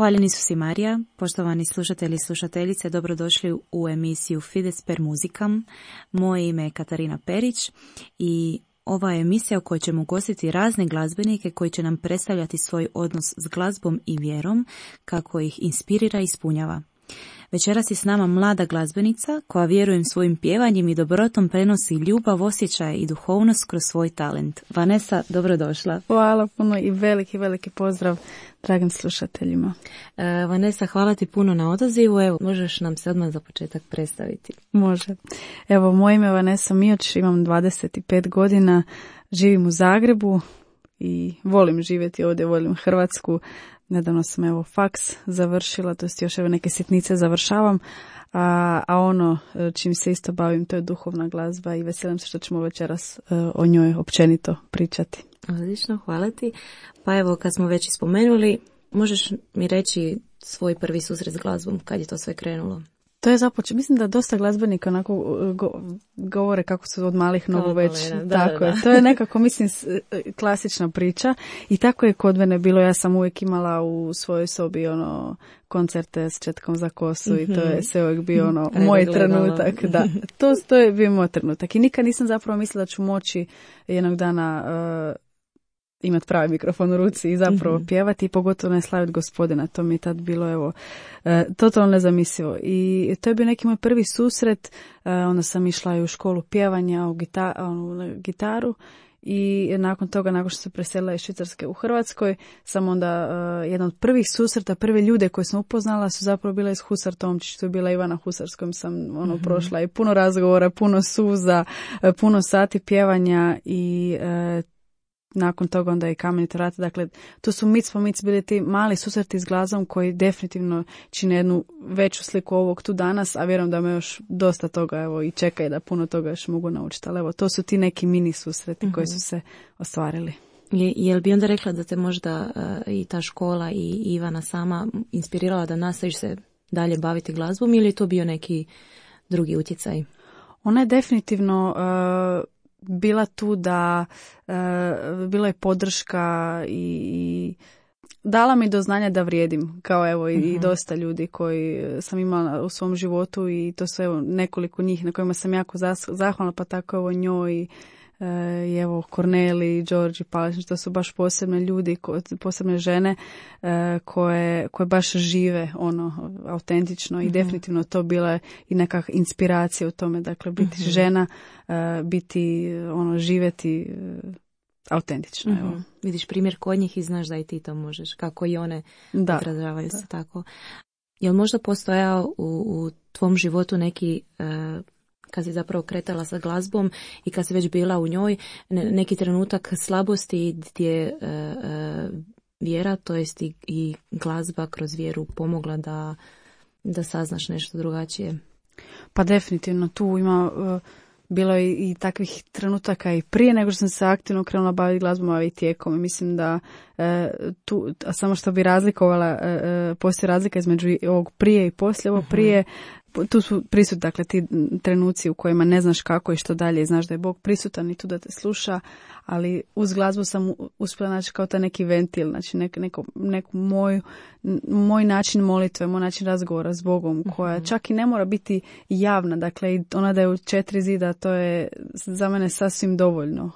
Hvaljeni su si Marija, poštovani slušatelji i slušateljice, dobrodošli u emisiju Fides per muzikam. Moje ime je Katarina Perić i ova je emisija u kojoj ćemo ugostiti razne glazbenike koji će nam predstavljati svoj odnos s glazbom i vjerom, kako ih inspirira i ispunjava. Večeras je s nama mlada glazbenica koja vjerujem svojim pjevanjem i dobrotom prenosi ljubav, osjećaj i duhovnost kroz svoj talent. Vanessa, dobrodošla. Hvala puno i veliki pozdrav dragim slušateljima. Vanessa, hvala ti puno na odazivu. Evo, možeš nam se odmah za početak predstaviti? Može. Evo, moje ime je Vanessa Mioč, imam 25 godina, živim u Zagrebu i volim živjeti ovdje, volim Hrvatsku. Nedavno sam faks završila, to jest još neke sitnice završavam, a ono čim se isto bavim to je duhovna glazba i veselim se što ćemo večeras o njoj općenito pričati. Odlično, hvala ti. Pa evo, kad smo već spomenuli, možeš mi reći svoj prvi susret s glazbom, kad je to sve krenulo? To je započeo, mislim da dosta glazbenika onako govore kako su od malih nogu već. Tako je. To je nekako, mislim, klasična priča i tako je kod mene bilo. Ja sam uvijek imala u svojoj sobi koncerte s četkom za kosu i to je sve uvijek bio moj trenutak. Da, to je bio moj trenutak i nikad nisam zapravo mislila da ću moći jednog dana imati pravi mikrofon u ruci i zapravo pjevati i pogotovo ne slaviti Gospodina. To mi je tad bilo totalno nezamislivo. I to je bio neki moj prvi susret. Onda sam išla i u školu pjevanja, u gitaru i nakon toga, nakon što se preselila iz Švicarske u Hrvatskoj, sam onda jedan od prvih susreta, prve ljude koje sam upoznala su zapravo bila iz Husar Tomčić. To je bila Ivana Husar s kojom sam prošla i puno razgovora, puno suza, puno sati pjevanja i nakon toga onda i Kamenita vrata. Dakle, to su mic po mic bili ti mali susreti s glazbom koji definitivno čine jednu veću sliku ovog tu danas, a vjerujem da me još dosta toga i čeka i da puno toga još mogu naučiti. Ali to su ti neki mini susreti koji su se ostvarili. Jel bi onda rekla da te možda i ta škola i Ivana sama inspirirala da nastaviš se dalje baviti glazbom ili je to bio neki drugi utjecaj? Ona je definitivno bila tu da bila je podrška i dala mi do znanja da vrijedim, kao i dosta ljudi koji sam imala u svom životu i to su nekoliko njih na kojima sam jako zahvalna, pa tako njoj i Korneli, Đorđi Paličnić, to su baš posebne ljudi, posebne žene koje baš žive autentično i definitivno to bila i neka inspiracija u tome, dakle biti žena, biti živjeti autentično. Evo. Vidiš primjer kod njih i znaš da i ti to možeš, kako i one odražavaju se tako. Jel možda postojao u tvom životu neki kad si zapravo kretala sa glazbom i kad si već bila u njoj, neki trenutak slabosti gdje vjera, to jest i glazba kroz vjeru pomogla da saznaš nešto drugačije? Pa definitivno tu ima bilo i takvih trenutaka i prije nego što sam se aktivno krenula baviti glazbom, a i tijekom. I mislim da tu, samo što bi razlikovala, postoji razlika između ovog prije i poslije. Ovo prije, tu su prisutni, dakle, ti trenuci u kojima ne znaš kako i što dalje, znaš da je Bog prisutan i tu da te sluša, ali uz glazbu sam uspjela naći kao taj neki ventil, znači neku moj način molitve, moj način razgovora s Bogom, koja čak i ne mora biti javna, dakle, ona da je u 4 zida, to je za mene sasvim dovoljno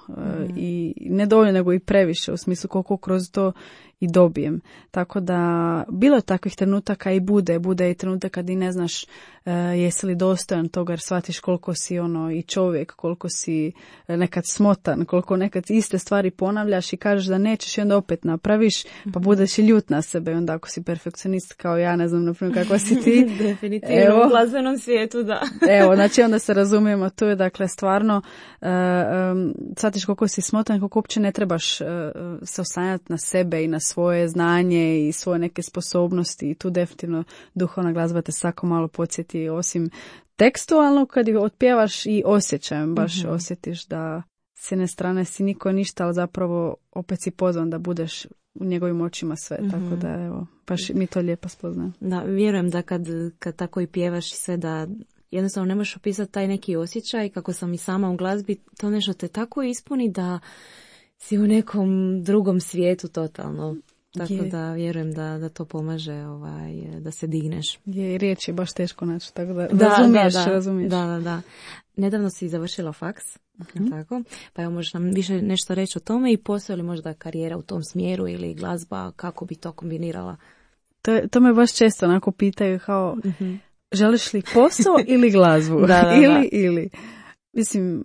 i ne dovoljno, nego i previše, u smislu koliko kroz to i dobijem. Tako da bilo je takvih trenutaka i bude i trenutak kad i ne znaš jesi li dostojan toga, jer shvatiš koliko si i čovjek, koliko si nekad smotan, koliko nekad iste stvari ponavljaš i kažeš da nećeš i onda opet napraviš, pa budeš i ljut na sebe. I onda ako si perfekcionist kao ja, ne znam naprimjer kako si ti. Definitivno u glazbenom svijetu, da. Evo, znači onda se razumijemo, to je dakle stvarno shvatiš koliko si smotan, koliko uopće ne trebaš se oslanjati na sebe i na svoje znanje i svoje neke sposobnosti i tu definitivno duhovna glazba te svako malo podsjeti, osim tekstualno kad ih otpjevaš i osjećajem, baš osjetiš da s jedne strane si niko ništa, ali zapravo opet si pozvan da budeš u njegovim očima sve, tako da evo, baš mi to lijepo spoznajem. Da, vjerujem da kad tako i pjevaš i sve, da jednostavno ne možeš opisati taj neki osjećaj, kako sam i sama u glazbi, to nešto te tako ispuni da si u nekom drugom svijetu totalno. tako da vjerujem da to pomaže da se digneš. Je, riječ je baš teško naći, tako da razumiješ. Da. Nedavno si završila faks, tako, pa evo možeš nam više nešto reći o tome i postoji li možda karijera u tom smjeru ili glazba, kako bi to kombinirala? To me baš često onako pitaju kao, želiš li posao ili glazbu? Ili. Mislim,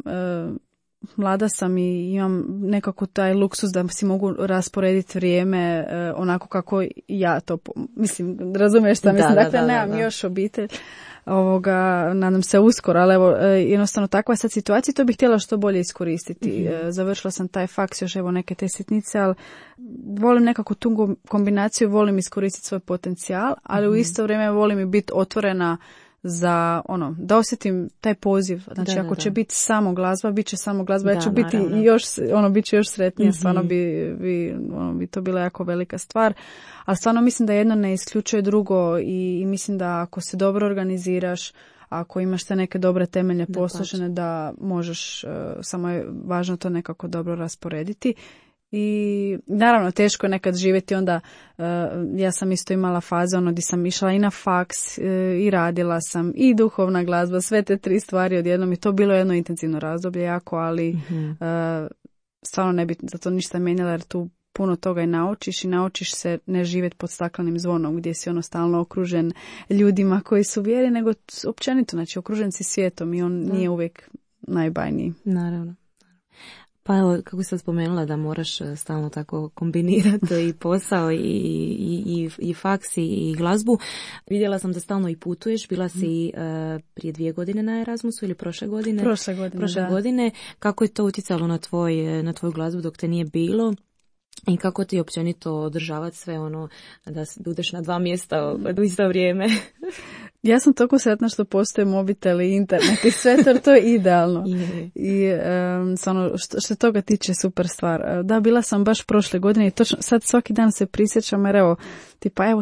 mlada sam i imam nekako taj luksus da si mogu rasporediti vrijeme onako kako ja to, mislim, razumiješ šta mislim, dakle nemam još obitelj, nadam se uskoro, ali evo, jednostavno takva je sad situacija, to bih htjela što bolje iskoristiti. Završila sam taj faks, još evo neke te sitnice, ali volim nekako tu kombinaciju, volim iskoristiti svoj potencijal, ali u isto vrijeme volim i biti otvorena za da osjetim taj poziv. Znači ako će biti samo glazba, bit će samo glazba, ja ću biti još, bit ću još sretnija, stvarno bi to bila jako velika stvar. Ali stvarno mislim da jedno ne isključuje drugo i mislim da ako se dobro organiziraš, ako imaš te neke dobre temelje posložene, da možeš, samo je važno to nekako dobro rasporediti. I naravno teško je nekad živjeti, onda ja sam isto imala faze gdje sam išla i na faks i radila sam i duhovna glazba, sve te 3 stvari odjednom i to bilo jedno intenzivno razdoblje jako, ali stvarno ne bi za to ništa mijenjala jer tu puno toga i naučiš se ne živjeti pod staklenim zvonom gdje si stalno okružen ljudima koji su vjeri, nego općenito, znači okružen si svijetom i on nije uvijek najbajniji. Naravno. Pa evo, kako sam spomenula da moraš stalno tako kombinirati i posao i faks i glazbu. Vidjela sam da stalno i putuješ. Bila si prije 2 godine na Erasmusu ili prošle godine? Prošle godine. Kako je to utjecalo na tvoju glazbu dok te nije bilo? I kako ti općenito održavati sve da budeš na 2 mjesta u isto vrijeme? Ja sam toliko sretna što postoje mobitel i internet i sve to je idealno. I što toga tiče super stvar. Da, bila sam baš prošle godine i točno sad svaki dan se prisjećam jer evo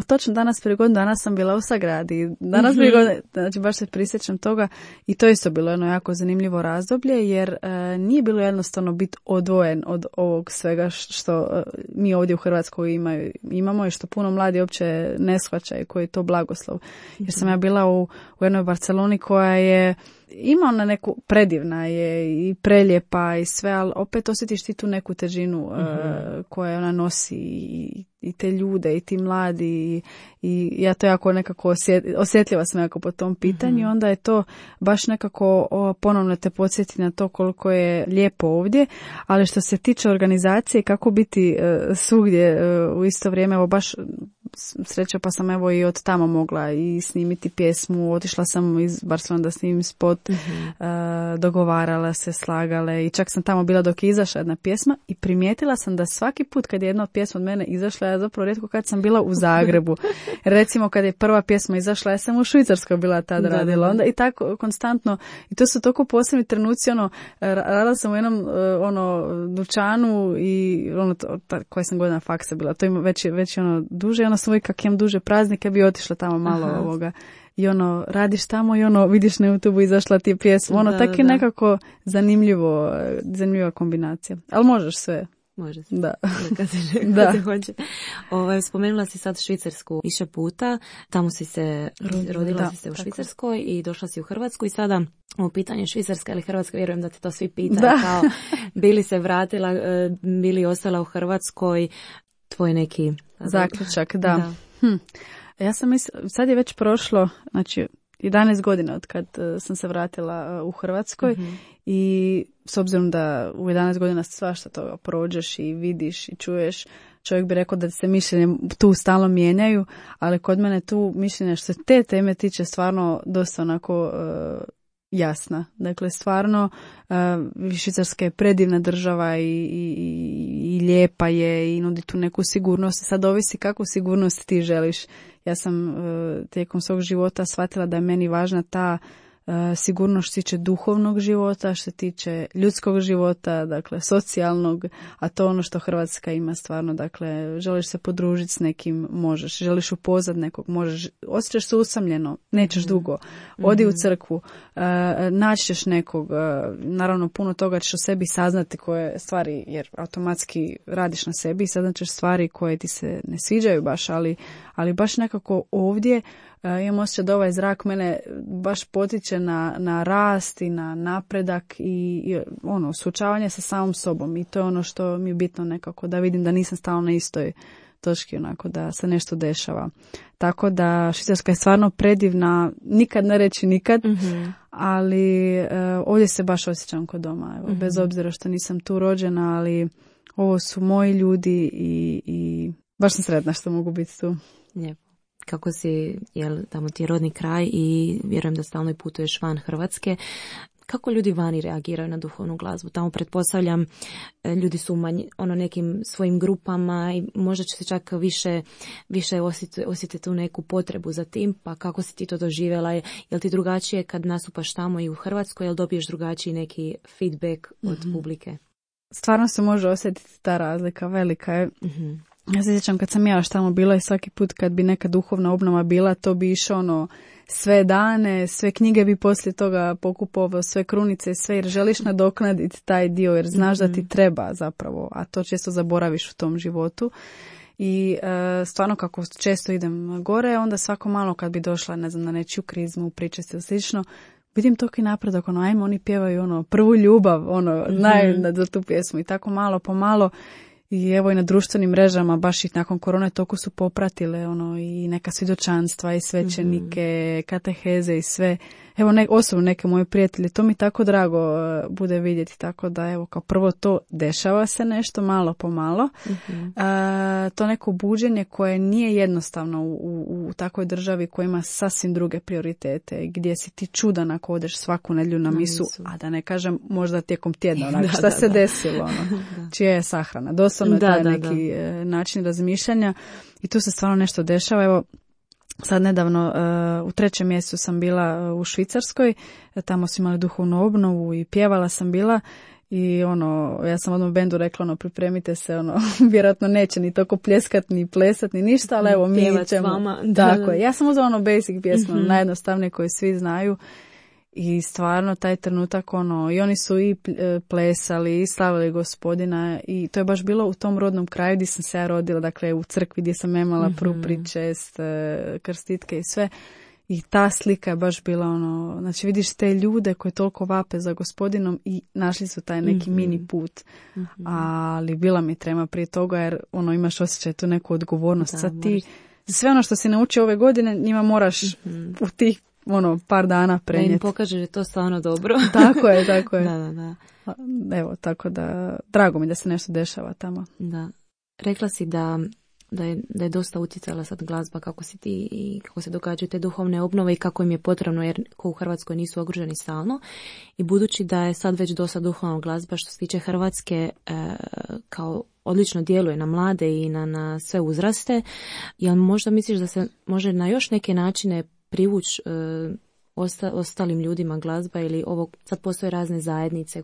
točno danas prije godinu dana sam bila u Sagradi. Danas prije godine, znači baš se prisjećam toga i to isto bilo jedno jako zanimljivo razdoblje jer nije bilo jednostavno biti odvojen od ovog svega što mi ovdje u Hrvatskoj imamo i što puno mladi uopće ne shvaćaju koji je to blagoslov. Jer sam ja bila u jednoj Barceloni koja je ima neku, predivna je i preljepa i sve, ali opet osjetiš ti tu neku težinu koja ona nosi i te ljude i ti mladi i ja to jako nekako osjetljiva sam jako po tom pitanju. Onda je to baš nekako ponovno te podsjeti na to koliko je lijepo ovdje, ali što se tiče organizacije kako biti svugdje u isto vrijeme, evo baš sreća pa sam evo i od tamo mogla i snimiti pjesmu, otišla sam iz Barcelona da snimim spot, dogovarala se, slagale i čak sam tamo bila dok je izašla jedna pjesma i primijetila sam da svaki put kad je jedna pjesma od mene izašla, ja zapravo rijetko kad sam bila u Zagrebu. Recimo kad je prva pjesma izašla, ja sam u Švicarskoj bila tada radila, onda i tako konstantno i to su toliko posebni trenuci, radila sam u jednom dućanu i koja sam godina faksa bila, to ima već duže, sam uvijek kak imam duže praznike bi otišla tamo malo ovoga i radiš tamo i vidiš na YouTube izašla ti pjesma, tako je nekako zanimljiva kombinacija, ali možeš sve. Može se. Da. Kad se hoće. Spomenula si sad Švicarsku više puta. Tamo si se rodila si se u Švicarskoj i došla si u Hrvatsku i sada u pitanje Švicarska ili Hrvatska, vjerujem da te to svi pitaju kao bili se vratila, bili ostala u Hrvatskoj, tvoj neki zaključak, da. Ja sam sad je već prošlo, znači 11 godina od kad sam se vratila u Hrvatskoj i s obzirom da u 11 godina svašta toga prođeš i vidiš i čuješ, čovjek bi rekao da se mišljenje tu stalno mijenjaju, ali kod mene tu mišljenje što se te teme tiče stvarno dosta onako jasna. Dakle, stvarno Švicarska je predivna država i lijepa je i nudi tu neku sigurnost. Sad ovisi kakvu sigurnost ti želiš. Ja sam tijekom svog života shvatila da je meni važna ta sigurno što se tiče duhovnog života, što se tiče ljudskog života, dakle socijalnog, a to ono što Hrvatska ima stvarno, dakle želiš se podružiti s nekim, možeš, želiš upoznat nekog, možeš, osjećaš se usamljeno, nećeš dugo, odi u crkvu, naći ćeš nekog, naravno puno toga ćeš o sebi saznati koje stvari, jer automatski radiš na sebi i saznat ćeš stvari koje ti se ne sviđaju baš, ali baš nekako ovdje imam osjećaj da ovaj zrak mene baš potiče na rast i na napredak i ono, suočavanje sa samom sobom i to je ono što mi je bitno nekako, da vidim da nisam stalno na istoj točki, onako, da se nešto dešava. Tako da Švicarska je stvarno predivna, nikad ne reći nikad, ali ovdje se baš osjećam kod doma, evo, bez obzira što nisam tu rođena, ali ovo su moji ljudi i baš sam sretna što mogu biti tu. Lijepo. Kako si, tamo ti je rodni kraj i vjerujem da stalno putuješ van Hrvatske, kako ljudi vani reagiraju na duhovnu glazbu? Tamo pretpostavljam ljudi su nekim svojim grupama i možda će se čak više osjetiti tu neku potrebu za tim, pa kako si ti to doživjela? Jel ti drugačije kad nastupaš tamo i u Hrvatskoj, jel dobiješ drugačiji neki feedback od publike? Stvarno se može osjetiti ta razlika, velika je. Ja se sjećam kad sam ja još tamo bila i svaki put kad bi neka duhovna obnova bila, to bi išlo sve dane, sve knjige bi poslije toga pokupovao, sve krunice, sve, jer želiš nadoknaditi taj dio, jer znaš da ti treba zapravo, a to često zaboraviš u tom životu. I stvarno kako često idem gore, onda svako malo kad bi došla, ne znam, na nečiju krizmu, priče se slično, vidim toki napredak, ajmo, oni pjevaju prvu ljubav, znaju za tu pjesmu i tako malo po malo. I evo i na društvenim mrežama, baš i nakon korone toliko su popratile i neka svjedočanstva i svećenike, kateheze i sve. Evo osobno neke moje prijatelje, to mi tako drago bude vidjeti, tako da evo kao prvo to dešava se nešto malo po malo. To neko buđenje koje nije jednostavno u takvoj državi koja ima sasvim druge prioritete, gdje si ti čudan ako odeš svaku nedjelju na misu, a da ne kažem možda tijekom tjedna, šta se desilo, čija je sahrana. Doslovno je taj neki način razmišljanja i tu se stvarno nešto dešava. Evo, sad nedavno u 3. mjesecu sam bila u Švicarskoj, tamo su imali duhovnu obnovu i pjevala sam bila i ja sam odmah bendu rekla pripremite se, vjerojatno neće ni toliko pljeskat ni plesat ni ništa, ali evo mi ćemo. Tako je. Ja sam uzela basic pjesmu, najjednostavnije koje svi znaju. I stvarno taj trenutak i oni su i plesali i slavili Gospodina i to je baš bilo u tom rodnom kraju gdje sam se ja rodila, dakle u crkvi gdje sam imala prvu pričest, krstitke i sve. I ta slika je baš bila znači vidiš te ljude koji toliko vape za Gospodinom i našli su taj neki mini put. Ali bila mi trema prije toga jer imaš osjećaj tu neku odgovornost. Sad ti sve što si naučio ove godine njima moraš u tih par dana prenijeti. Da im pokaže da je to stvarno dobro. Tako je. Da. Evo, tako da drago mi da se nešto dešava tamo. Da. Rekla si da je dosta utjecala sad glazba, kako si ti i kako se događaju te duhovne obnove i kako im je potrebno, jer ko u Hrvatskoj nisu okruženi stalno. I budući da je sad već dosta duhovna glazba što se tiče Hrvatske kao odlično djeluje na mlade i na sve uzraste, jel možda misliš da se može na još neke načine privući ostalim ljudima glazba ili sad postoje razne zajednice,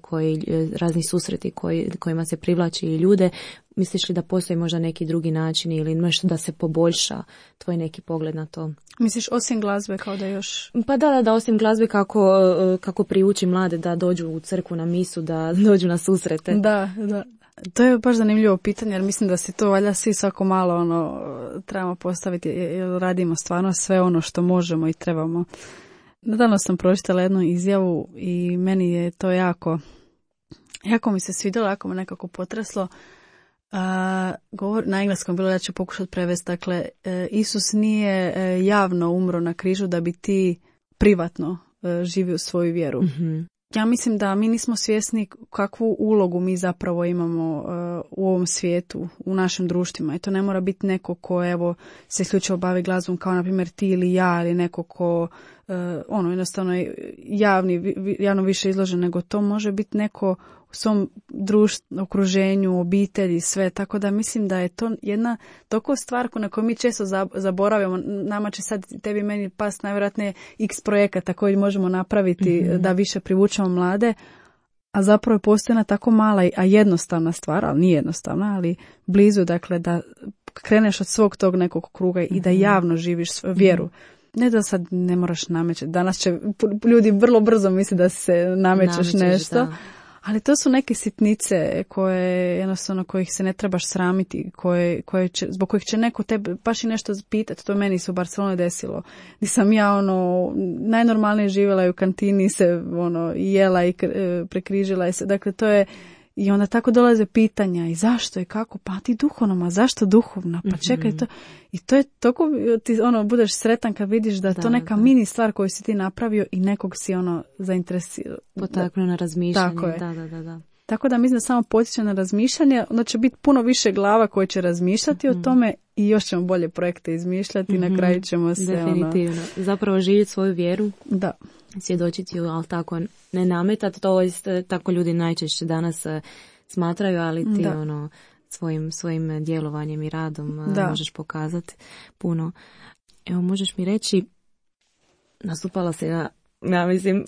razni susreti kojima se privlači i ljude, misliš li da postoji možda neki drugi način ili nešto da se poboljša tvoj neki pogled na to? Misliš osim glazbe kao da još... Pa da, osim glazbe kako privući mlade da dođu u crkvu na misu, da dođu na susrete. Da. To je baš zanimljivo pitanje jer mislim da si to valjda svi svako malo trebamo postaviti jer radimo stvarno sve što možemo i trebamo. Nedavno sam pročitala jednu izjavu i meni je to jako mi se svidjelo, jako me nekako potreslo. Na engleskom bilo, ja ću pokušati prevesti, dakle, Isus nije javno umro na križu da bi ti privatno živio svoju vjeru. Ja mislim da mi nismo svjesni kakvu ulogu mi zapravo imamo u ovom svijetu, u našim društvima. I to ne mora biti neko ko se isključivo bavi glazbom kao na primjer ti ili ja, ili neko ko jednostavno javno više izložen, nego to može biti neko u svom društvu, okruženju, obitelji, sve. Tako da mislim da je to jedna toliko stvar na koju mi često zaboravimo. Nama će sad tebi meni past najvjerojatnije x projekata koji možemo napraviti da više privučemo mlade, a zapravo je postojana tako mala, a jednostavna stvar, ali nije jednostavna, ali blizu, dakle, da kreneš od svog tog nekog kruga i da javno živiš vjeru. Ne da sad ne moraš namećati. Danas će ljudi vrlo brzo misli da se namećeš nešto. Da. Ali to su neke sitnice koje jednostavno kojih se ne trebaš sramiti, zbog kojih će neko tebe baš i nešto pitati. To meni se u Barceloni desilo. Nisam ja najnormalnije živjela i u kantini se jela i prekrižila se. Dakle, to je i onda tako dolaze pitanja i zašto i kako, pa ti duhovno, a zašto duhovna, pa čekaj to. I to je toliko, ti budeš sretan kad vidiš da je to neka mini stvar koju si ti napravio i nekog si zainteresirao. Potaknuo na razmišljanje. Tako je. Da. Tako da mislim da samo potiče na razmišljanje, onda će biti puno više glava koje će razmišljati o tome i još ćemo bolje projekte izmišljati i na kraju ćemo se... Definitivno. Zapravo živjeti svoju vjeru. Da. Svjedočiti ju, ali tako ne nametati, to tako ljudi najčešće danas smatraju, ali ti svojim djelovanjem i radom možeš pokazati puno. Evo, možeš mi reći, nastupala se ja mislim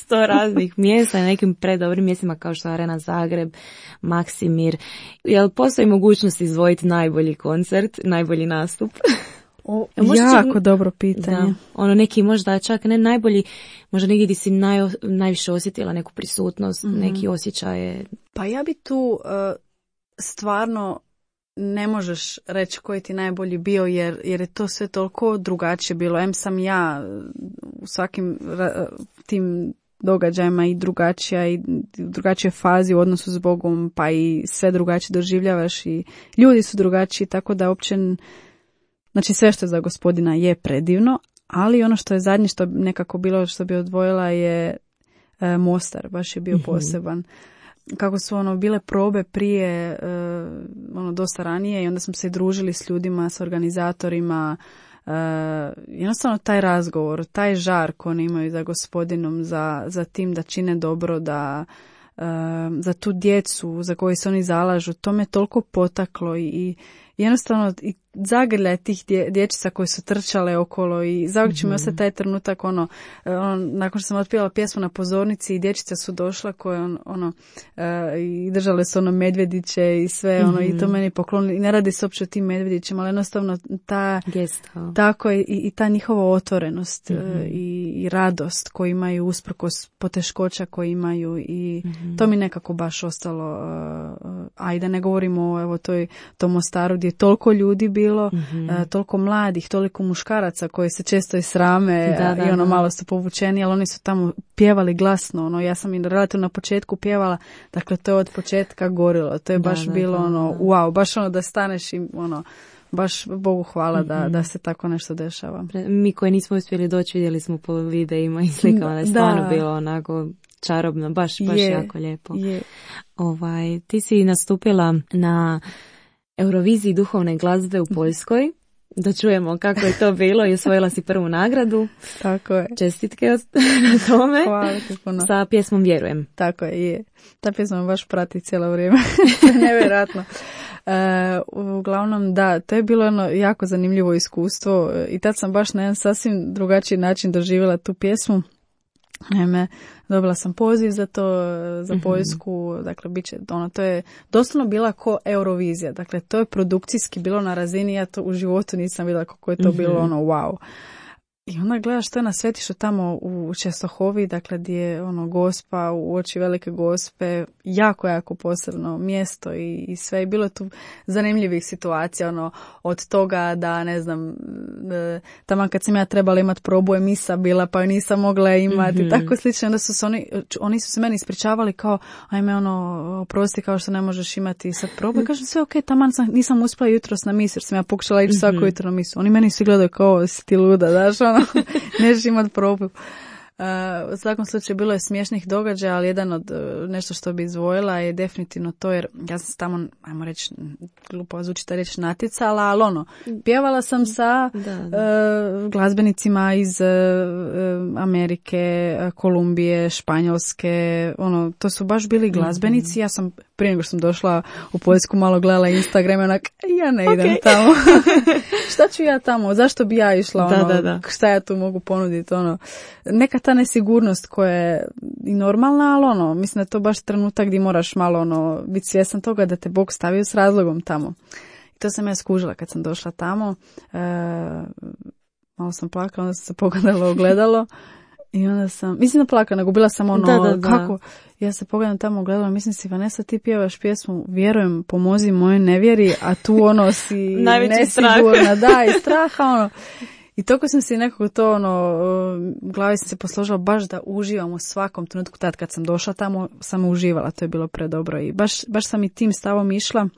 100 raznih mjesta na nekim predobrim mjestima kao što je Arena Zagreb, Maksimir. Jel postoji mogućnost izdvojiti najbolji koncert, najbolji nastup? Jako dobro pitanje. Da, neki možda čak ne najbolji, možda negdje gdje si najviše osjetila neku prisutnost, neki osjećaje. Pa ja bi tu stvarno ne možeš reći koji ti najbolji bio jer je to sve toliko drugačije bilo. Sam ja u svakim tim događajima i drugačija i drugačije fazi u odnosu s Bogom, pa i sve drugačije doživljavaš i ljudi su drugačiji, tako da uopće, znači sve što je za Gospodina je predivno, ali ono što je zadnje što nekako bilo što bi odvojila je Mostar, baš je bio poseban. Kako su bile probe prije dosta ranije i onda smo se družili s ljudima, s organizatorima, jednostavno taj razgovor, taj žar koji oni imaju za Gospodinom, za tim da čine dobro, da za tu djecu za koju se oni zalažu, to me toliko potaklo i jednostavno i zagrljaj tih dječica koji su trčale okolo i zauvijek će mi ostati taj trenutak nakon što sam otpjevala pjesmu na pozornici i dječice su došla koje i držale su medvjediće i sve i to meni poklonili i ne radi se uopće o tim medvjedićima, ali jednostavno ta gesta, tako i ta njihova otvorenost i radost koju imaju usprkos poteškoća koje imaju i to mi nekako baš ostalo, a i da ne govorimo o tom Mostaru gdje je toliko ljudi bilo, toliko mladih, toliko muškaraca koji se često i srame i malo su povučeni, ali oni su tamo pjevali glasno, ja sam im relativno na početku pjevala, dakle to je od početka gorilo, to je baš bilo wow, baš da staneš i baš Bogu hvala da se tako nešto dešava. Mi koji nismo uspjeli doći vidjeli smo po videima i slikama da je stvarno bilo onako čarobno, baš jako lijepo. Ti si nastupila na Euroviziji duhovne glazbe u Poljskoj. Da čujemo kako je to bilo i osvojila si prvu nagradu. Tako je. Čestitke na tome. Hvala ti puno. Sa pjesmom Vjerujem. Tako je. Ta pjesma baš prati cijelo vrijeme. Nevjerojatno. Uglavnom da, to je bilo jako zanimljivo iskustvo i tad sam baš na jedan sasvim drugačiji način doživjela tu pjesmu. Naime, dobila sam poziv za to, za Poljsku, dakle, to je doslovno bila ko Eurovizija, dakle, to je produkcijski bilo na razini, ja to u životu nisam vidjela kako je to bilo, wow. I onda gledaš što je na svetištu tamo u Čestohovi, dakle gdje je Gospa u oči velike Gospe, jako posebno mjesto i sve. I bilo je tu zanimljivih situacija, od toga da, ne znam, taman kad sam ja trebala imati probu misa bila, pa ju nisam mogla imati, tako slično. Onda su se oni su se meni ispričavali kao, ajme, oprosti, kao što ne možeš imati sad probu. I kažem, sve okej, taman nisam uspjela jutros na misu, jer sam ja pokušala ići svako jutro na misu. Oni meni svi gledaju kao, si ti luda, daš, nećeš imati probu. U svakom slučaju bilo je smiješnih događaja, ali jedan od nešto što bi izdvojila je definitivno to, jer ja sam se tamo, ajmo reći, glupo zvuči ta reći, natjecala, ali pjevala sam sa glazbenicima iz Amerike, Kolumbije, Španjolske, to su baš bili glazbenici. Ja sam prije nego što sam došla u Poljsku malo gledala Instagram i ja ne idem tamo. Šta ću ja tamo? Zašto bi ja išla? Šta ja tu mogu ponuditi? Neka ta nesigurnost koja je i normalna, ali mislim da je to baš trenutak gdje moraš malo biti svjestan toga da te Bog stavio s razlogom tamo. I to sam ja skužila kad sam došla tamo. Malo sam plakala, onda sam se pogledala u ogledalo i onda sam, mislim da plakala, nego bila sam kako, ja se pogledam tamo u ogledalo, mislim si, Vanessa, ti pjevaš pjesmu Vjerujem, pomozi mojoj nevjeri, a tu si nesigurna, i straha, I toliko sam si nekako to, u glavi sam se posložila baš da uživam u svakom trenutku. Tad kad sam došla tamo, sam uživala, to je bilo predobro i baš sam i tim stavom išla.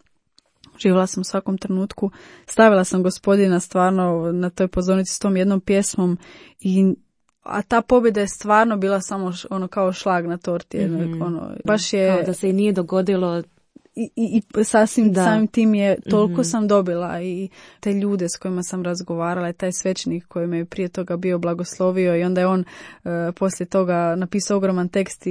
Uživala sam u svakom trenutku. Stavila sam Gospodina stvarno na toj pozornici s tom jednom pjesmom a ta pobjeda je stvarno bila samo kao šlag na torti. Baš je... Kao da se i nije dogodilo... I sasvim samim tim je toliko sam dobila i te ljude s kojima sam razgovarala i taj svećenik koji me je prije toga bio blagoslovio i onda je on poslije toga napisao ogroman tekst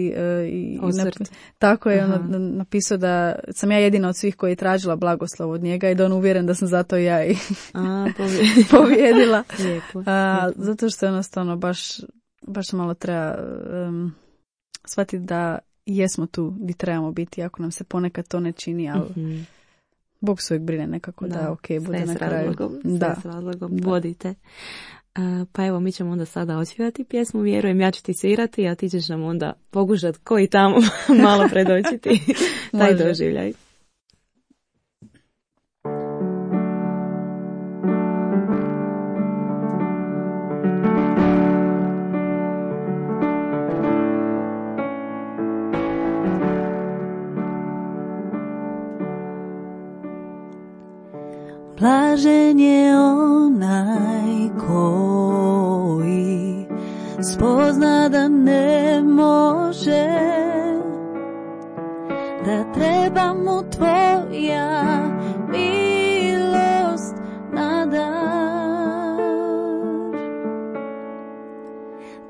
tako je napisao da sam ja jedina od svih koji je tražila blagoslov od njega i da on uvjeren da sam zato ja i pobjedila. Zato što jednostavno baš malo treba shvatiti da jesmo tu gdje trebamo biti, ako nam se ponekad to ne čini, ali Bog se uvijek brine nekako da bude na kraju. Sve s razlogom vodite. Pa evo, mi ćemo onda sada odsvijati pjesmu Vjerujem, ja ću ti svirati, a ti ćeš nam onda pokušati koji tamo malo predočiti taj doživljaj. Blažen je onaj koji spozna da ne može, da treba mu tvoja milost na dar.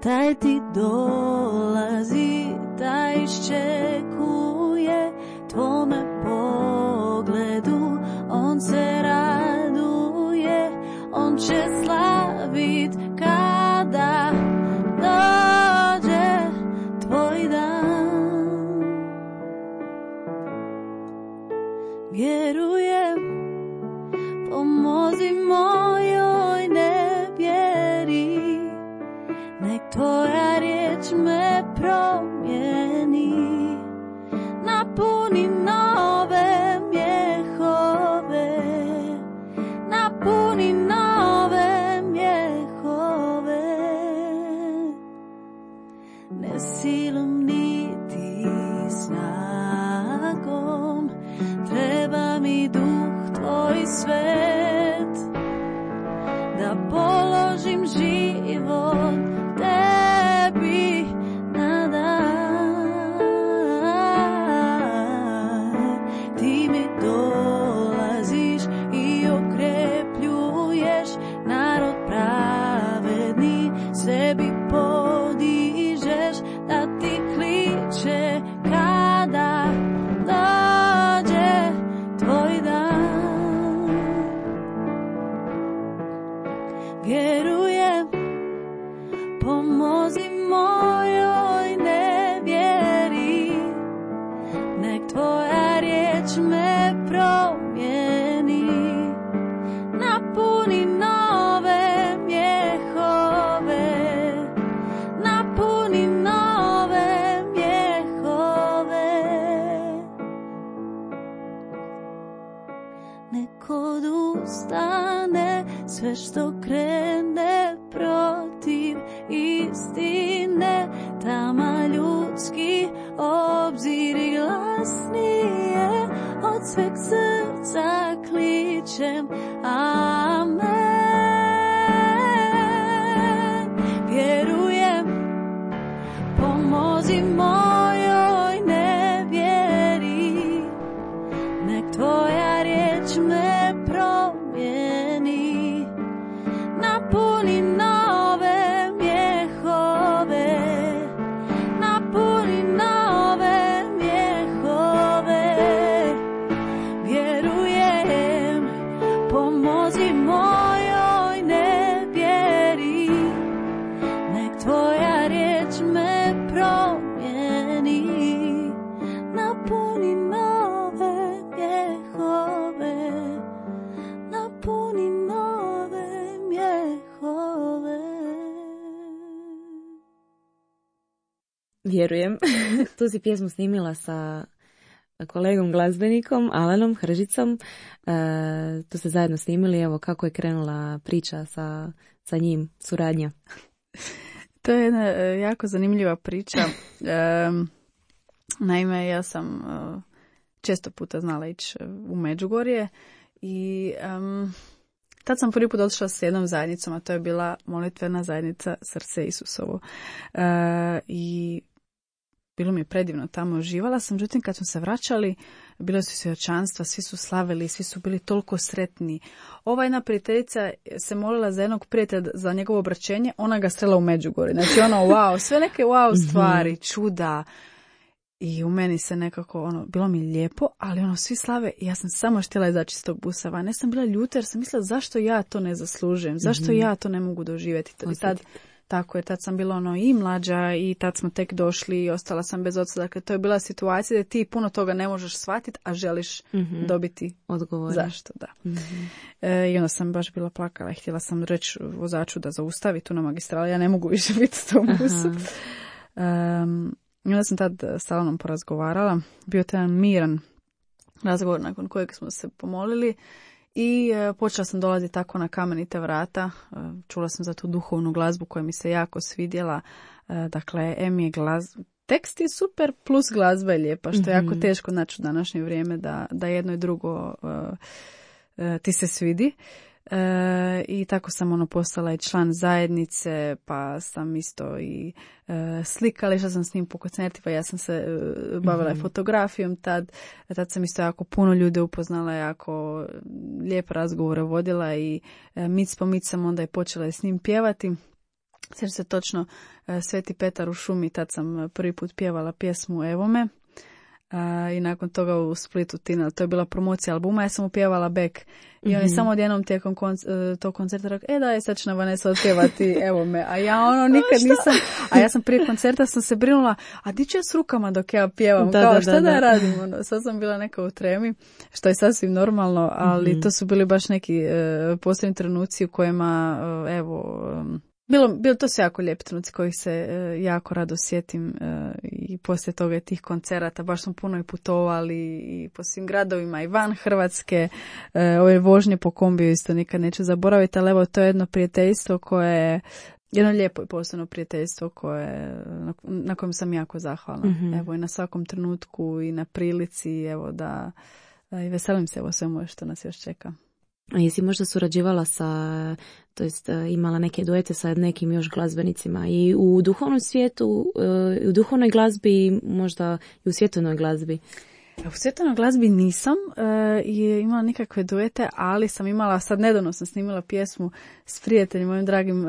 Taj ti dolazi, taj iščekuje tvome pogledu, on se raduje, on će slavit kada dođe tvoj dan. Vjerujem, pomozi mojoj nevjeri, nek tvoja riječ me promijeni, napuni nove mjehove, napuni nove mjehove. Ne silom niti snagom, treba mi duh tvoj svet, da položim život tebi na dar. Ti mi dolaziš i okrepljuješ narod pravedni, sebi podižeš da ti kliče kada dođe tvoj dan. Vjerujem, pomozi mojoj nevjeri, nek tvoja riječ me promijeni, napuni nove mjehove, napuni nove mjehove. Nek odustane sve što krene protiv istine, tama ljudski obziri glasnije, od sveg srca kličem amen. Vjerujem, pomozi mojoj nevjeri, nek tvoja riječ me promijeni, napuni nove mjehove, napuni nove mjehove, vjerujem, pomozi mojoj nevjeri, nek tvoja riječ me promijeni, napuni nove mjehove, napuni nove mjehove. Vjerujem. Tu si pjesmu snimila sa kolegom glazbenikom Alanom Hržicom. Tu ste zajedno snimili, evo kako je krenula priča sa njim, suradnja. To je jedna jako zanimljiva priča. Naime, ja sam često puta znala ići u Međugorje i tad sam prvi put otišla s jednom zajednicom, a to je bila molitvena zajednica Srce Isusovo. I bilo mi je predivno tamo, uživala sam, međutim kad smo se vraćali, bilo su svjedočanstva, svi su slavili, svi su bili toliko sretni. Ova jedna prijateljica se molila za jednog prijatelja za njegovo obraćenje, ona ga strela u Međugorje. Znači ono, wow, sve neke wow stvari, čuda. I u meni se nekako, bilo mi lijepo, ali svi slave i ja sam samo htjela izaći iz tog busa van. Ne sam bila ljuta jer sam mislila zašto ja to ne zaslužujem, zašto ja to ne mogu doživjeti. I tad, tako je, tad sam bila i mlađa i tad smo tek došli i ostala sam bez oca. Dakle, to je bila situacija da ti puno toga ne možeš shvatiti, a želiš dobiti odgovor. Zašto, da. I onda sam baš bila plakala i htjela sam reći vozaču da zaustavi tu na magistrali. Ja ne mogu više biti s tom busu. I onda sam tad s Alanom porazgovarala. Bio to jedan miran razgovor nakon kojeg smo se pomolili i počela sam dolaziti tako na kamenite vrata. Čula sam za tu duhovnu glazbu koja mi se jako svidjela. Dakle, je tekst je super plus glazba je lijepa, što je jako teško naći u današnje vrijeme da jedno i drugo ti se svidi. I tako sam postala i član zajednice, pa sam isto i slikala, išla sam s njim po koncertima, ja sam se bavila i fotografijom tad sam isto jako puno ljudi upoznala, jako lijepe razgovore vodila i mic po mic sam onda i počela s njim pjevati. Sjećam se točno Sveti Petar u šumi, tad sam prvi put pjevala pjesmu Evo me. I nakon toga u Splitu Tina, to je bila promocija albuma, ja sam upjevala back i on je samo odjednom tijekom tog koncerta rekao, da je sad će na Vanessa otpjevati Evo me, a ja nikad nisam, a ja sam prije koncerta sam se brinula, a di ću ja s rukama dok ja pjevam, šta da radim, sad sam bila neka u tremi, što je sasvim normalno, ali to su bili baš neki posebni trenuci u kojima, to su jako lijepi trenuci kojih se jako rado sjetim i poslije toga tih koncerata baš smo puno i putovali i po svim gradovima i van Hrvatske. Ove vožnje po kombiju isto nikad neću zaboraviti, ali evo to je jedno prijateljstvo koje je jedno lijepo i posebno prijateljstvo na kojem sam jako zahvalna. Evo i na svakom trenutku i na prilici, evo da i veselim se svemu što nas još čeka. A jesi možda surađivala imala neke duete sa nekim još glazbenicima i u duhovnom svijetu, u duhovnoj glazbi, možda i u svjetovnoj glazbi? U svjetovnoj glazbi nisam imala nikakve duete, ali sam imala, sad nedavno sam snimila pjesmu s prijateljem, mojim dragim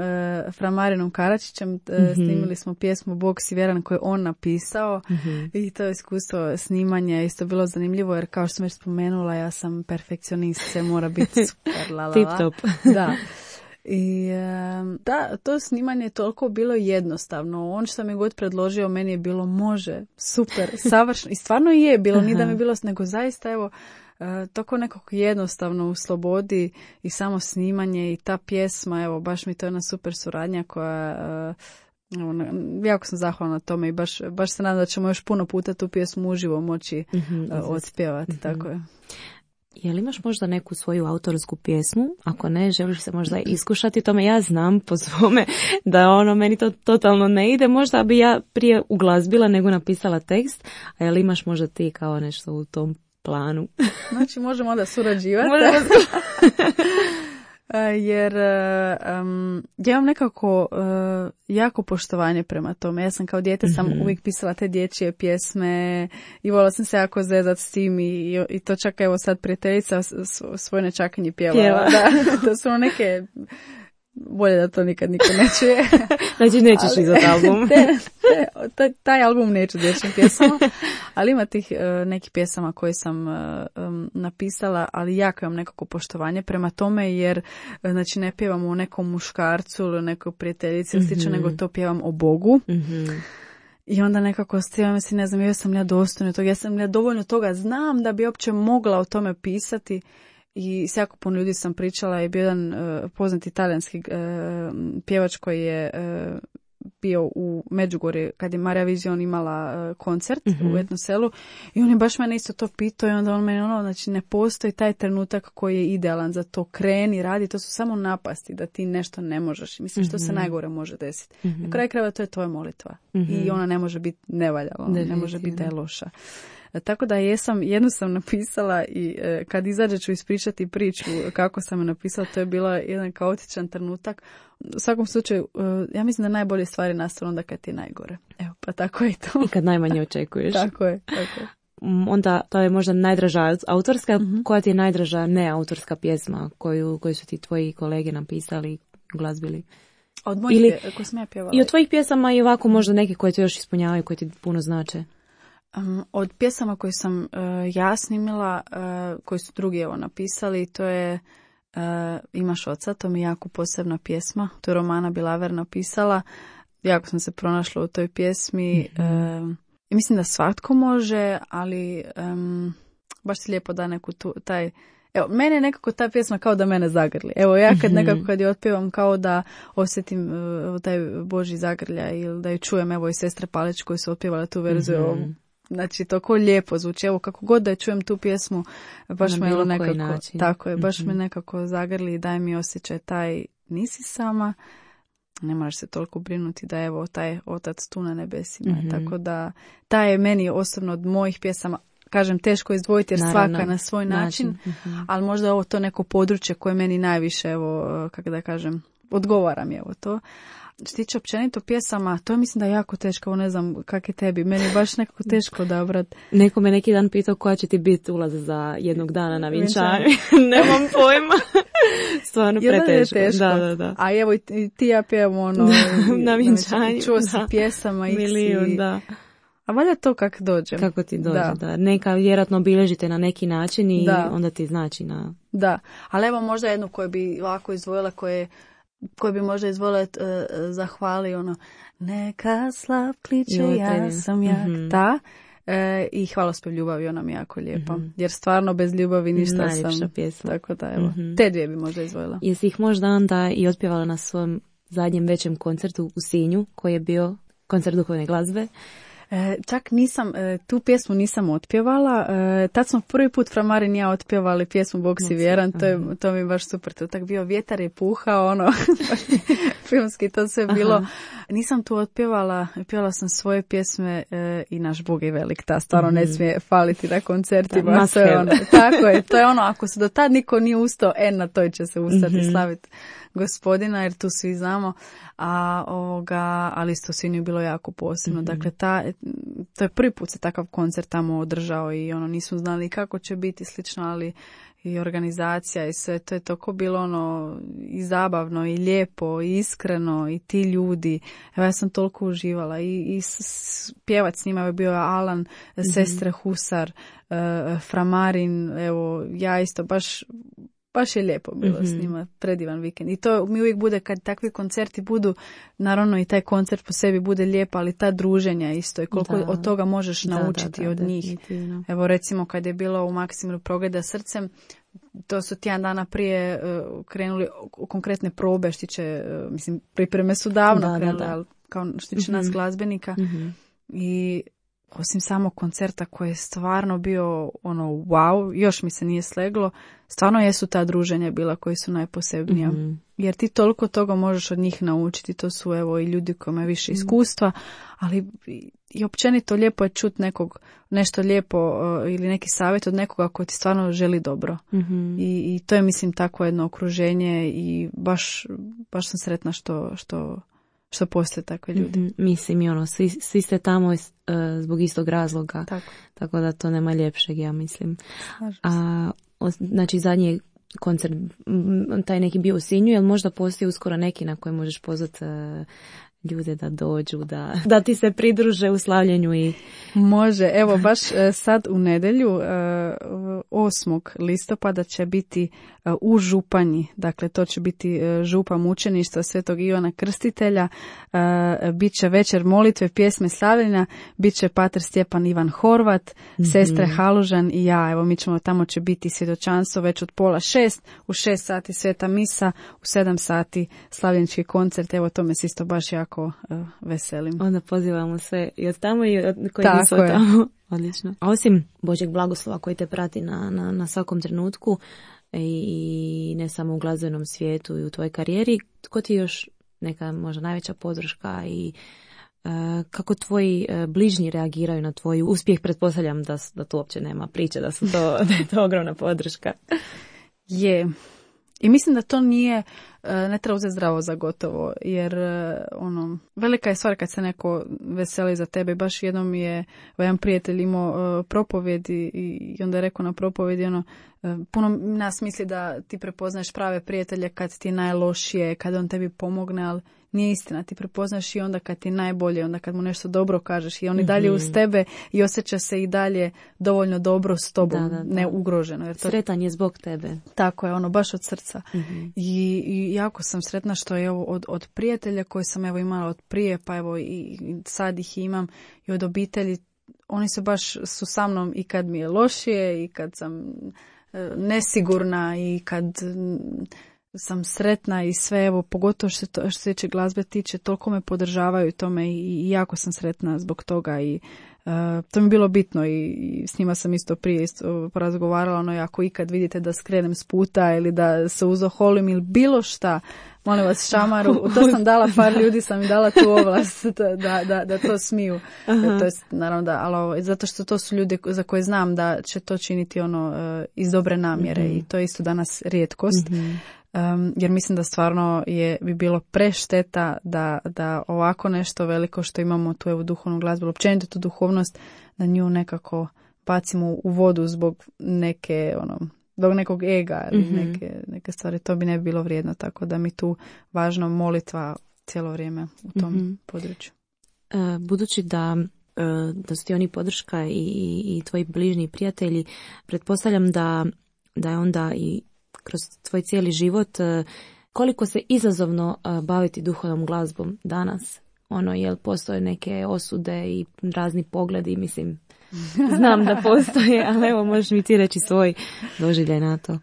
Framarinom Karačićem, snimili smo pjesmu Bog si vjeran koju je on napisao i to iskustvo snimanja isto bilo zanimljivo jer kao što sam već spomenula, ja sam perfekcionist, sve mora biti super, tip top. Da. I to snimanje je toliko bilo jednostavno. On što mi god predložio, meni je bilo može, super, savršeno. I stvarno je bilo, ni da mi je bilo, nego zaista evo, tako nekako jednostavno u slobodi i samo snimanje i ta pjesma, evo, baš mi to je jedna super suradnja koja... jako sam zahvalna na tome i baš se nadam da ćemo još puno puta tu pjesmu uživo moći odspjevati, tako je. Je li imaš možda neku svoju autorsku pjesmu? Ako ne, želiš se možda iskušati tome? Ja znam po svome da meni to totalno ne ide. Možda bi ja prije uglazbila nego napisala tekst. A je li imaš možda ti kao nešto u tom planu? Znači možemo onda surađivati. Jer ja imam nekako jako poštovanje prema tome. Ja sam kao dijete sam uvijek pisala te dječje pjesme i volila sam se jako zezat s tim i to čak evo sad prijateljica svoje nečakinje pjevala. Da su neke... Bolje da to nikad niko ne čuje. Znači nećeš izvat album. Taj album neću dječjim pjesama, ali ima tih nekih pjesama koje sam napisala, ali jako imam nekako poštovanje prema tome, jer znači ne pjevam o nekom muškarcu ili o nekoj prijateljici, nego to pjevam o Bogu. I onda nekako stivam si, ne znam, jesam ja dostojna toga, jesam ja dovoljno toga znam da bi uopće mogla o tome pisati. I s jako puno ljudi sam pričala i bio jedan poznati talijanski pjevač koji je bio u Međugorju kad je Marija Vizion imala koncert u Etno selu i on je baš mene isto to pitao i onda on meni znači ne postoji taj trenutak koji je idealan za to, kreni, radi, to su samo napasti da ti nešto ne možeš. Mislim što se najgore može desiti. Na kraju krajeva to je tvoja molitva i ona ne može biti nevaljala, ne može biti da je loša. Tako da jednu sam napisala i kad izađe ću ispričati priču kako sam je napisala, to je bila jedan kaotičan trenutak. U svakom slučaju, ja mislim da najbolje stvari nastanu onda kad ti je najgore. Evo, pa tako je to. I kad najmanje očekuješ. Tako je. Onda to je možda najdraža autorska, koja ti je najdraža neautorska pjesma koju su ti tvoji kolege napisali, glazbili? Od mojih koje sam ja pjevala. I od tvojih pjesama i ovako možda neke koje te još ispunjavaju, koje ti puno znače. Od pjesama koje sam ja snimila, koje su drugi napisali, to je Imaš oca, to mi je jako posebna pjesma. To je Romana Bilaver napisala. Jako sam se pronašla u toj pjesmi. I mislim da svatko može, ali baš si lijepo da neku taj... Evo, mene nekako ta pjesma kao da mene zagrli. Evo, ja kad je otpjevam kao da osjetim taj Božji zagrljaj ili da ju čujem, evo i sestre Palić koji su otpjevale tu verziju. Znači, to ko lijepo zvuči. Evo, kako god da čujem tu pjesmu, baš me nekako, način. Tako je, baš me nekako zagrli i daje mi osjećaj taj, nisi sama, ne moraš se toliko brinuti da evo taj otac tu na nebesima. Tako da, taj je meni osobno od mojih pjesama, kažem, teško izdvojiti jer svaka na svoj način, ali možda ovo to neko područje koje meni najviše, evo, kako da kažem, odgovara mi evo to. Što tiče općenito pjesama, to mislim da je jako teško, ne znam kak je tebi, meni je baš nekako teško odabrati. Neko me neki dan pitao koja će ti biti ulaz za jednog dana na vjenčanju. Nemam pojma. Stvarno preteško. Da. A evo i ti ja pjevam na vjenčanju. Čuo si pjesama i milijun, da. A valjda to kako dođe. Kako ti dođe, da. Neka vjerojatno obilježite na neki način i onda ti znači na... Da, ali evo možda jednu koju bi ovako izdvojila, koji bi možda izvolio zahvali neka slav kliče, ja sam jak, ta. I hvalospjev ljubavi, ona mi jako lijepa. Jer stvarno bez ljubavi ništa najljepša sam. Pjesma. Tako da evo, te dvije bi možda izvojila. Jesi ih možda onda i otpjevala na svom zadnjem većem koncertu u Sinju, koji je bio koncert duhovne glazbe? Čak nisam, tu pjesmu nisam otpjevala, tad smo prvi put Framarin i ja otpjevali pjesmu Bog si vjeran, to mi je baš super, to tak bio vjetar je puhao, filmski to sve bilo. Nisam tu otpjevala sam svoje pjesme i Naš Bog je velik, ta stvarno ne smije faliti na koncertima. Tako je, to je ako se do tad niko nije ustao, na toj će se ustati slaviti Gospodina, jer tu svi znamo, ali isto Sinju je bilo jako posebno. Dakle, to je prvi put se takav koncert tamo održao i nismo znali kako će biti slično, ali i organizacija i sve, to je toliko bilo i zabavno i lijepo i iskreno i ti ljudi. Evo, ja sam toliko uživala i pjevac s njima je bio Alan, sestre Husar, Framarin, evo, ja isto baš je lijepo bilo s njima, predivan vikend. I to mi uvijek bude kad takvi koncerti budu, naravno i taj koncert po sebi bude lijep, ali ta druženja isto i koliko od toga možeš naučiti od njih. Definitivno. Evo recimo kad je bilo u Maksimiru Progleda srcem, to su tjedan dana prije krenuli konkretne probe, pripreme su davno krenule, ali kao što tiče nas glazbenika. I osim samog koncerta koji je stvarno bio ono wow, još mi se nije sleglo, stvarno jesu ta druženja bila koji su najposebnija. Jer ti toliko toga možeš od njih naučiti, to su evo i ljudi koji imaju više iskustva, ali i općenito lijepo je čuti nešto lijepo ili neki savjet od nekoga koji ti stvarno želi dobro. I to je, mislim, takvo jedno okruženje i baš sam sretna što postoje takve ljudi. Mislim, i ono, svi ste tamo zbog istog razloga. Tako da to nema ljepšeg, ja mislim. Znači, zadnji koncert, taj neki bio u Sinju, jel možda postoji uskoro neki na koji možeš pozvati ljude da dođu, da ti se pridruže u slavljenju? I može, evo baš sad u nedjelju 8. listopada će biti u Županji, dakle to će biti župa mučeništva Svetog Ivana Krstitelja, bit će večer molitve, pjesme slavljenja, bit će pater Stjepan Ivan Horvat, sestre Halužan i ja, evo mi ćemo, tamo će biti svjedočanstvo već od 5:30, u 6 sati sveta misa, u 7 sati slavljenički koncert, evo to me se isto baš jako veselim. Onda pozivamo sve i od tamo i od koji nisu tamo. Odlično. A osim Božjeg blagoslova koji te prati na svakom trenutku i ne samo u glazbenom svijetu i u tvojoj karijeri, tko ti još neka možda najveća podrška i kako tvoji bližnji reagiraju na tvoj uspjeh? Pretpostavljam da to uopće nema priče, da je to ogromna podrška. Je. I mislim da to ne treba uzeti zdravo za gotovo, jer velika je stvar kad se neko veseli za tebe. Baš jednom je jedan prijatelj imao propovjed i onda je rekao na propovjedi puno nas misli da ti prepoznaješ prave prijatelje kad ti je najlošije, kad on tebi pomogne, ali nije istina. Ti prepoznaš i onda kad ti je najbolje, onda kad mu nešto dobro kažeš i on i dalje uz tebe i osjeća se i dalje dovoljno dobro s tobom, ne ugroženo. Jer to... Sretan je zbog tebe. Tako je, baš od srca. I jako sam sretna što je od prijatelja koje sam imala od prije, pa evo i sad ih imam, i od obitelji. Oni su baš sa mnom i kad mi je lošije i kad sam nesigurna i kad sam sretna i sve, evo, pogotovo što se tiče glazbe tiče, toliko me podržavaju tome i jako sam sretna zbog toga i to mi je bilo bitno i s njima sam isto prije porazgovarala, ako ikad vidite da skrenem s puta ili da se uzoholim ili bilo šta, molim vas, šamaru, to sam dala, par ljudi sam im dala tu ovlast da to smiju. To je, naravno ali zato što to su ljudi za koje znam da će to činiti iz dobre namjere i to je isto danas rijetkost. Jer mislim da stvarno bi bilo prešteta da ovako nešto veliko što imamo tu evo duhovnu glazbu, općenito tu duhovnost, da nju nekako bacimo u vodu zbog zbog nekog ega ili neke stvari, to bi ne bilo vrijedno, tako da mi tu važno molitva cijelo vrijeme u tom području. Budući da su ti oni podrška i tvoji bližnji prijatelji, pretpostavljam da je onda i kroz tvoj cijeli život, koliko se izazovno baviti duhovnom glazbom danas? Jel postoje neke osude i razni pogledi, mislim, znam da postoje, ali evo možeš mi ti reći svoj doživljaj na to.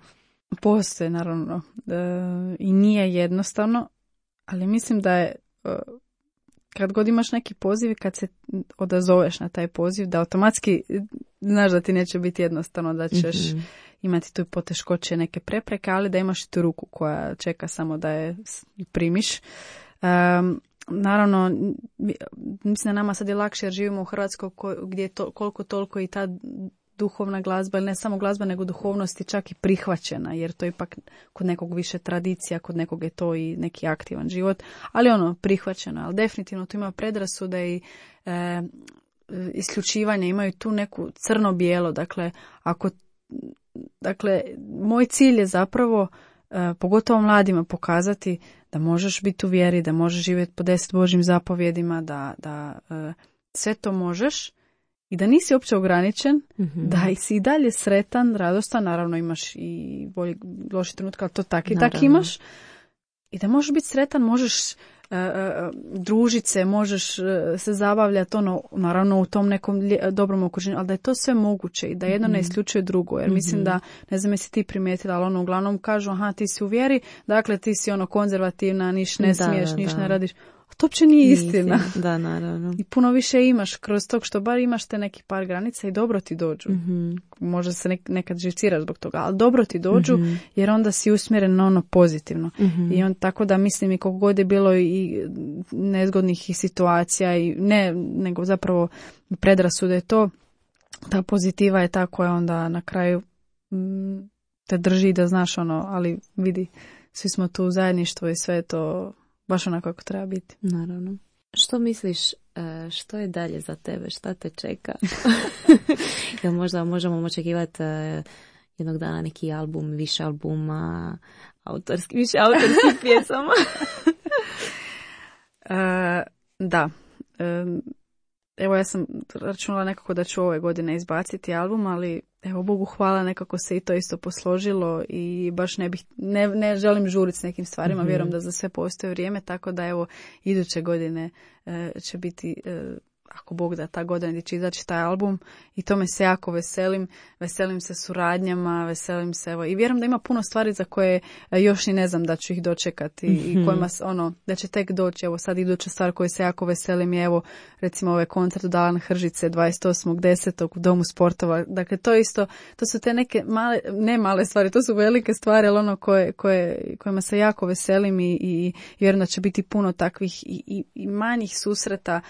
Postoje, naravno. I nije jednostavno, ali mislim da je, kad god imaš neki poziv i kad se odazoveš na taj poziv, da automatski znaš da ti neće biti jednostavno, da ćeš imati tu poteškoće, neke prepreke, ali da imaš tu ruku koja čeka samo da je primiš. Naravno, mislim da nama sad je lakše jer živimo u Hrvatskoj gdje je koliko toliko i ta duhovna glazba, ili ne samo glazba, nego duhovnost je čak i prihvaćena, jer to je ipak kod nekog više tradicija, kod nekog je to i neki aktivan život, ali prihvaćeno. Ali definitivno tu ima predrasude i isključivanje, imaju tu neku crno-bijelo, dakle, moj cilj je zapravo, pogotovo mladima, pokazati da možeš biti u vjeri, da možeš živjeti po 10 Božjim zapovjedima, da sve to možeš i da nisi uopće ograničen, da si i dalje sretan, radostan, naravno imaš i bolji, loši trenutka, ali to tak i tak imaš. I da možeš biti sretan, možeš družiti se, možeš se zabavljati, naravno u tom nekom dobrom okruženju, ali da je to sve moguće i da jedno ne isključuje drugo, jer mislim da, ne znam jesi ti primijetila, ali uglavnom kažu, aha, ti si u vjeri, dakle ti si konzervativna, niš ne smiješ, niš ne radiš. A to uopće nije istina. Da, naravno. I puno više imaš kroz tog što bar imaš te neki par granica i dobro ti dođu. Možda se nekad živciraš zbog toga, ali dobro ti dođu jer onda si usmjeren na ono pozitivno. I on tako da mislim i koliko god je bilo i nezgodnih i situacija i ne, nego zapravo predrasude je to, ta pozitiva je ta koja onda na kraju te drži da znaš ono, ali vidi, svi smo tu u zajedništvu i sve je to baš onako kako treba biti. Naravno. Što misliš, što je dalje za tebe? Šta te čeka? Jel možda možemo očekivati jednog dana neki album, više albuma, više autorskih pjesama? Da. Evo ja sam računala nekako da ću ove godine izbaciti album, ali evo Bogu hvala nekako se i to isto posložilo i baš ne želim žuriti s nekim stvarima, vjerujem da za sve postoji vrijeme, tako da evo iduće godine će biti, ako Bog da, ta godina gdje će izaći taj album i tome se jako veselim se suradnjama, veselim se evo i vjerujem da ima puno stvari za koje još ni ne znam da ću ih dočekati i kojima da će tek doći. Evo sad iduća stvar koju se jako veselim je evo recimo ovaj koncert u Dalan Hržice 28.10. u Domu sportova. Dakle to isto, to su te neke male stvari, to su velike stvari, ali ono kojima se jako veselim i vjerujem da će biti puno takvih i manjih susreta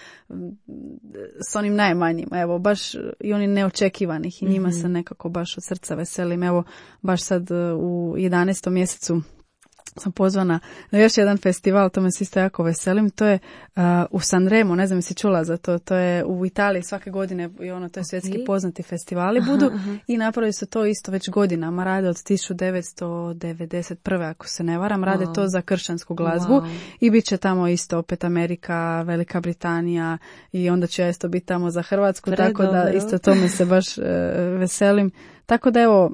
s onim najmanjima, evo baš i oni neočekivanih i njima se nekako baš od srca veselim. Evo baš sad u 11. mjesecu sam pozvana na još jedan festival, to me se isto jako veselim, to je u Sanremo, ne znam jesi čula za to, to je u Italiji svake godine i ono, to je svjetski poznati festivali budu i napravili su to isto već godinama, rade od 1991. ako se ne varam, rade to za kršćansku glazbu i bit će tamo isto opet Amerika, Velika Britanija i onda ću ja isto biti tamo za Hrvatsku, tako da isto tome se baš veselim, tako da evo,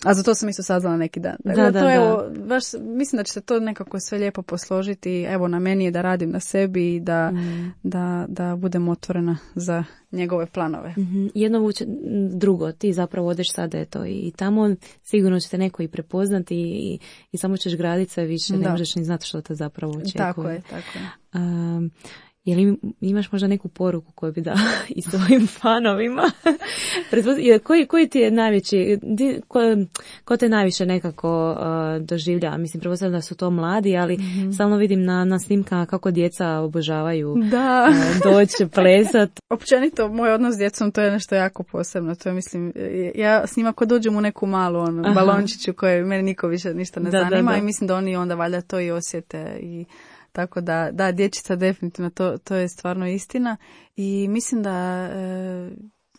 a za to sam isto saznala neki dan. Da. Evo, baš, mislim da će se to nekako sve lijepo posložiti. Evo, na meni je da radim na sebi i da budem otvorena za njegove planove. Jedno vuče drugo. Ti zapravo odeš sada eto i tamo sigurno će te neko i prepoznati i samo ćeš graditi sve više. Ne možeš ni znati što te zapravo očekuje. Tako je. Je li imaš možda neku poruku koju bi dala i svojim fanovima? Koji ti je najveći, ko te najviše nekako doživlja? Mislim, pretpostavljam da su to mladi, ali stalno vidim na snimkama kako djeca obožavaju doći plesat. Općenito, moj odnos s djecom, to je nešto jako posebno. To je, mislim, ja s njima ko dođem u neku malu balončiću koje meni niko više ništa ne zanima i mislim da oni onda valjda to i osjete i tako da dječica definitivno, to je stvarno istina i mislim da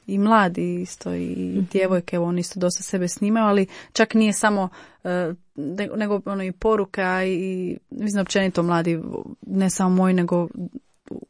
i mladi isto i djevojke, oni isto dosta sebe snimaju, ali čak nije samo nego ono i poruka i mislim općenito mladi, ne samo moji, nego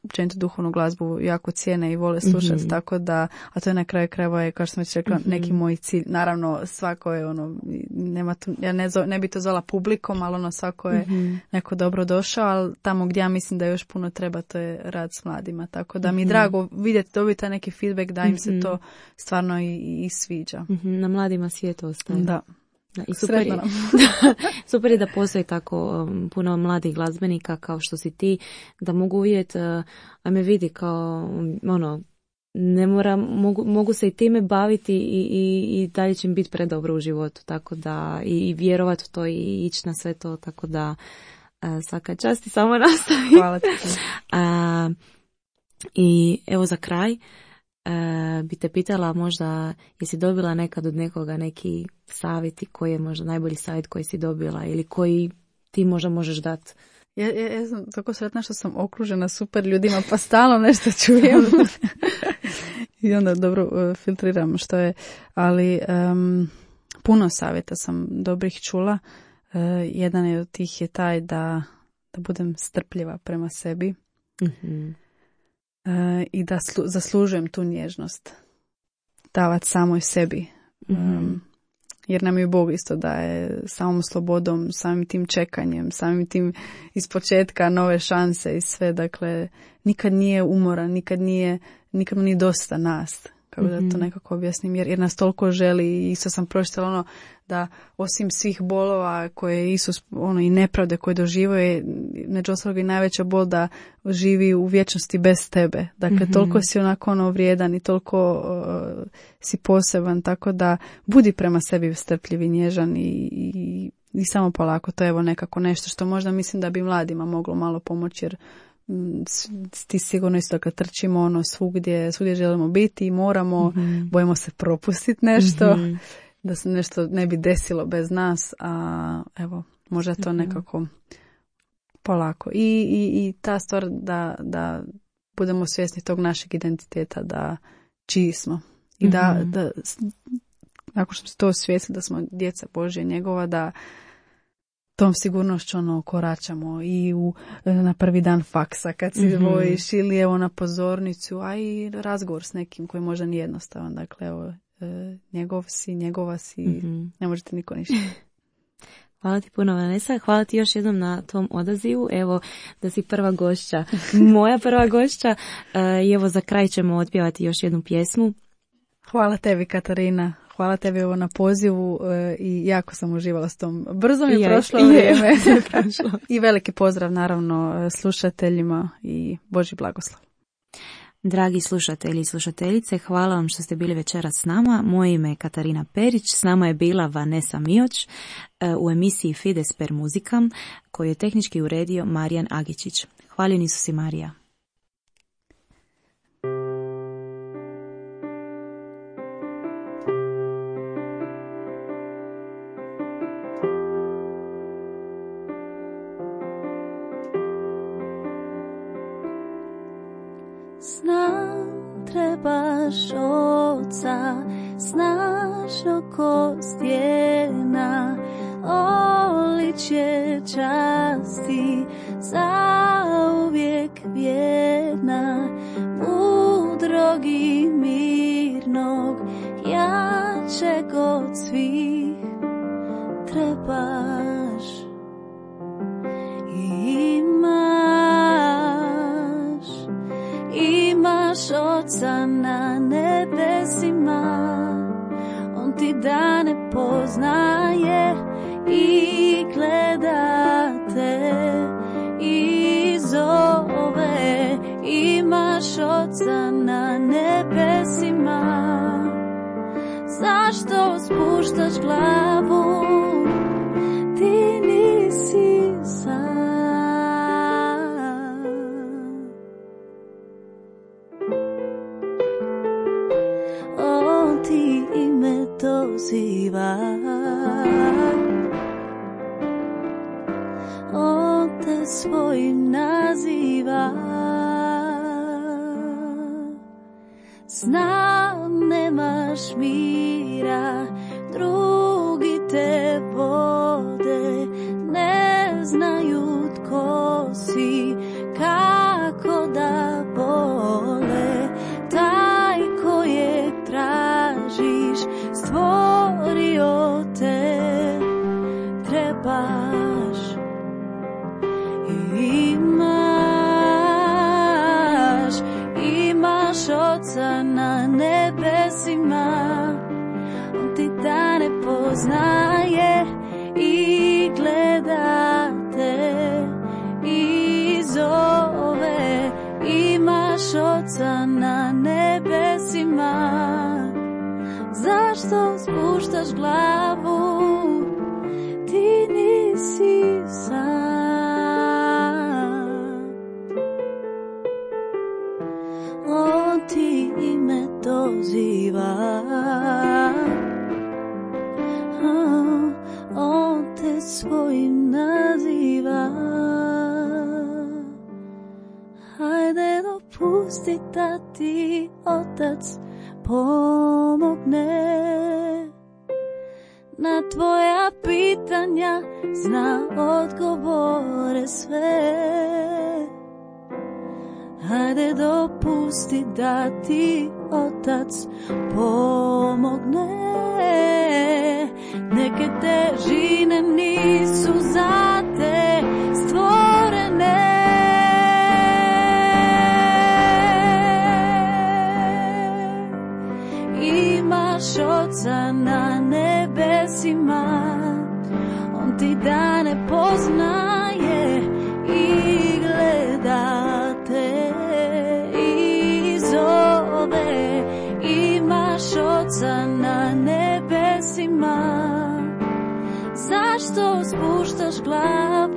općenito duhovnu glazbu jako cijene i vole slušati, tako da, a to je na kraju krajeva je, kao što sam već rekla, neki moj cilj. Naravno, svako je ono, nema tu, ja ne bi to zvala publikom, ali ono svako je neko dobro došao, ali tamo gdje ja mislim da još puno treba, to je rad s mladima, tako da mi je drago vidjeti, dobiti neki feedback da im se to stvarno i sviđa. Na mladima svijet ostaje. Da. I super je da postoji tako puno mladih glazbenika kao što si ti, da mogu vidjeti, a me vidi kao ono, ne moram, mogu se i time baviti i dalje će im biti predobro u životu, tako da i vjerovati u to i ići na sve to, tako da svaka čast i samo nastavi. Hvala ti. I evo za kraj, bi te pitala možda jesi dobila nekad od nekoga neki savjeti, koji je možda najbolji savjet koji si dobila ili koji ti možda možeš dati? Ja sam tako sretna što sam okružena super ljudima pa stalno nešto čujem i onda dobro filtriram što je, ali puno savjeta sam dobrih čula. Jedan je od tih je taj da budem strpljiva prema sebi. I da zaslužujem tu nježnost davati samoj sebi, jer nam je Bog isto daje samom slobodom, samim tim čekanjem, samim tim ispočetka nove šanse i sve, dakle nikad nije umoran, nikad mu nije dosta nas kako da to nekako objasnim, jer nas toliko želi. I isto sam pročitala da osim svih bolova koje Isus, i nepravde koje doživio, među ostalog i najveća bol da živi u vječnosti bez tebe. Dakle, toliko si onako vrijedan i toliko si poseban, tako da budi prema sebi strpljiv i nježan i samo polako. To je evo nekako nešto što možda mislim da bi mladima moglo malo pomoći, jer ti sigurno isto kad trčimo svugdje želimo biti i moramo, bojimo se propustiti nešto, da se nešto ne bi desilo bez nas, a evo, možda to nekako polako. I ta stvar da budemo svjesni tog našeg identiteta, da čiji smo. I da nakon što smo to osvijestili da smo djeca Božja njegova, da tom sigurnošću koračamo i na prvi dan faksa kad si bojiš ili evo na pozornicu, a i razgovor s nekim koji možda nije jednostavan. Dakle, evo, njegova si, ne možete niko ništa. Hvala ti puno, Vanessa. Hvala ti još jednom na tom odazivu. Evo, da si prva gošća, moja prva gošća. I evo, za kraj ćemo otpjevati još jednu pjesmu. Hvala tebi, Katarina. Hvala tebi na pozivu i jako sam uživala s tom. Brzo mi je prošlo vrijeme. I veliki pozdrav naravno slušateljima i Božji blagoslov. Dragi slušatelji i slušateljice, hvala vam što ste bili večeras s nama. Moje ime je Katarina Perić, s nama je bila Vanessa Mioć u emisiji Fides per Musicam, koju je tehnički uredio Marijan Agičić. Hvaljeni su si, Marija. Znam, trebaš oca, znaš oko stijena, oličje časti, zauvijek vjerna, mudrog i mirnog, jačeg od svih, trebaš imaš oca na nebesima, on ti dane poznaje i gleda te i zove. Imaš oca na nebesima, zašto spuštaš glavu, ti nisi sam. Ti ime doziva, on te svojim naziva. Znam, nemaš mira, drugi te vode, ne znaju tko si, kako da vole. Taj kojeg tražiš, stvorio te, trebaš. Imaš oca na nebesima, on ti dane poznaje i gleda te i zove. Imaš oca na nebesima, zašto spuštaš glavu, ti nisi sam. On ti ime doziva, on te svojim naziva. Hajde dopusti da ti Otac pomogne, na tvoja pitanja zna odgovore sve. Hajde dopusti da ti Otac pomogne, neke težine nisu za te stvorene. imaš Oca na nebesima, on ti dane poznaje i gleda te i zove. Imaš Oca na nebesima, zašto spuštaš glavu